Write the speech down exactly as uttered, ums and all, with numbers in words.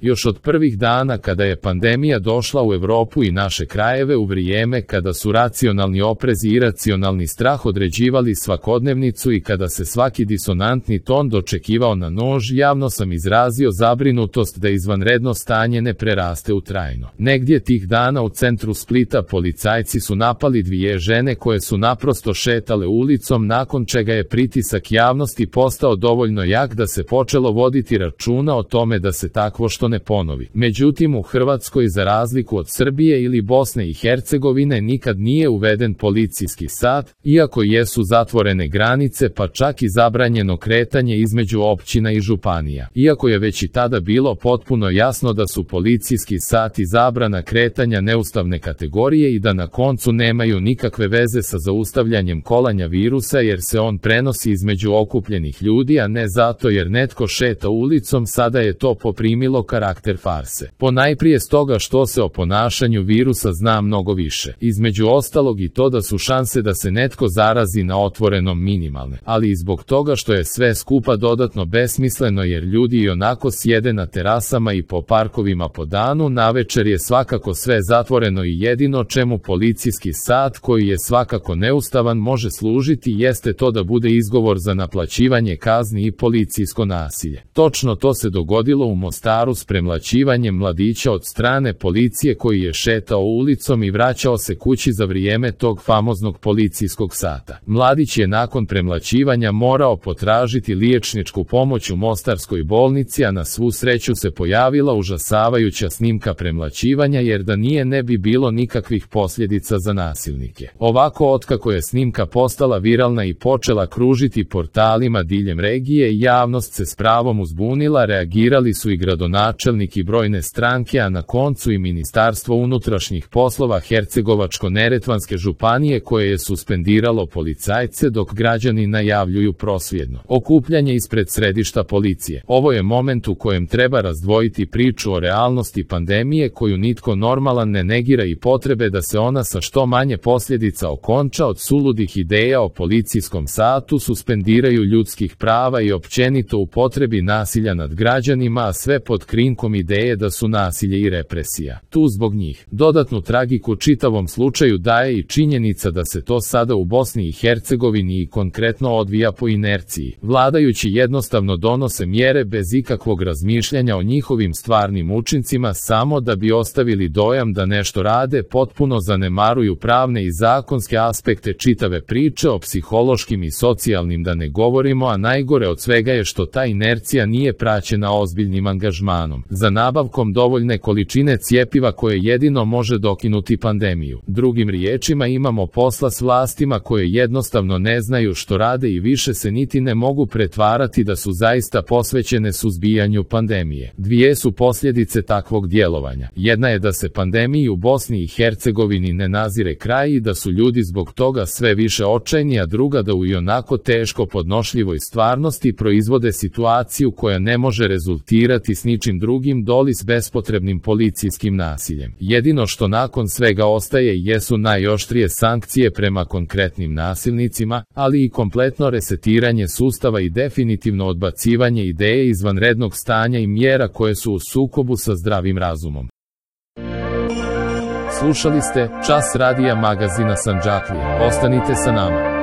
Još od prvih dana kada je pandemija došla u Evropu i naše krajeve u vrijeme kada su racionalni oprez i iracionalni strah određivali svakodnevnicu i kada se svaki disonantni ton dočekivao na nož, javno sam izrazio zabrinutost da izvanredno stanje ne preraste u trajno. Negdje tih dana u centru Splita policajci su napali dvije žene koje su naprosto šetale ulicom, nakon čega je pritisak javnosti postao dovoljno jak da se počelo voditi računa o tome da se takvo što ne ponovi. Međutim, u Hrvatskoj, za razliku od Srbije ili Bosne i Hercegovine, nikad nije uveden policijski sat, iako jesu zatvorene granice pa čak i zabranjeno kretanje između općina i županija. Iako je već i tada bilo potpuno jasno da su policijski sat i zabrana kretanja neustavne kategorije i da na koncu nemaju nikakve veze sa zaustavljanjem kolanja virusa jer se on prenosi između okupljenih ljudi, a ne zato jer netko šeta ulicom, sada je to poprimilo karakter farse. Ponajprije stoga što se o ponašanju virusa zna mnogo više. Između ostalog i to da su šanse da se netko zarazi na otvorenom minimalne, ali i zbog toga što je sve skupa dodatno besmisleno jer ljudi i onako sjede na terasama i po parkovima po danu, navečer je svakako sve zatvoreno i jedino čemu policijski sat, koji je svakako neustavan, može služiti jeste to da bude izgovor za naplaćivanje kazni i policijsko nasilje. Točno to se dogodilo u Mostaru s premlaćivanjem mladića od strane policije koji je šetao ulicom i vraćao se kući za vrijeme tog famoznog policijskog sata. Mladić je nakon premlaćivanja morao potražiti liječničku pomoć u mostarskoj bolnici, a na svu sreću se pojavila užasavajuća snimka premlaćivanja jer da nije ne bi bilo nikakvih posljedica za nasilnike. Ovako, otkako je snimka postala viralna i počela kružiti portalima diljem regije, javnost se s pravom uzbunila, reagirali su i gradonačelnik i brojne stranke, a na koncu i Ministarstvo unutrašnjih poslova Hercegovačko-neretvanske županije koje je suspendiralo policajce dok građani najavljuju prosvjedno okupljanje ispred središta policije. Ovo je moment u kojem treba razdvojiti priču o realnosti pandemije koju nitko normalan ne negira i potrebe da se ona sa što manje posljedica okonča od suludih ideja o policijskom satu, suspendiraju ljudskih prava i općenito u potrebi nasilja nad građanima, a sve pod krinkom ideje da su nasilje i represija tu zbog njih. Dodatnu tragiku čitavom slučaju daje i činjenica da se to sada u Bosni i Hercegovini i konkretno odvija po inerciji. Vladajući jednostavno donose mjere bez ikakvog razmišljanja o njihovim stvarnim učincima samo da bi ostavili dojam da nešto rade, potpuno zanemaruju pravne i zakonske aspekte čitave priče, o psihološkim i socijalnim da ne govorimo, a najgore od svega je što ta inercija nije praćena ozbiljnim angažmanom za nabavkom dovoljne količine cjepiva koje jedino može dokinuti pandemiju. Drugim riječima, imamo posla s vlastima koje jednostavno ne znaju što rade i više se niti ne mogu pretvarati da su zaista posvećene suzbijanju pandemije. Dvije su posljedice takvog djelovanja. Jedna je da se pandemiji u Bosni i Hercegovini ne nazire kraj i da su ljudi zbog toga sve više očajni, a druga da u ionako teško podnošljivoj stvarnosti proizvode situaciju koja ne može rezultirati s ničim drugim doli s bespotrebnim policijskim nasiljem. Jedino što nakon svega ostaje jesu najoštrije sankcije prema konkretnim nasilnicima, ali i kompletno resetiranje sustava i definitivno odbacivanje ideje izvanrednog stanja i mjera koje su u sukobu sa zdravim razumom. Slušali ste Čas radija magazina Sandžaklija. Ostanite sa nama.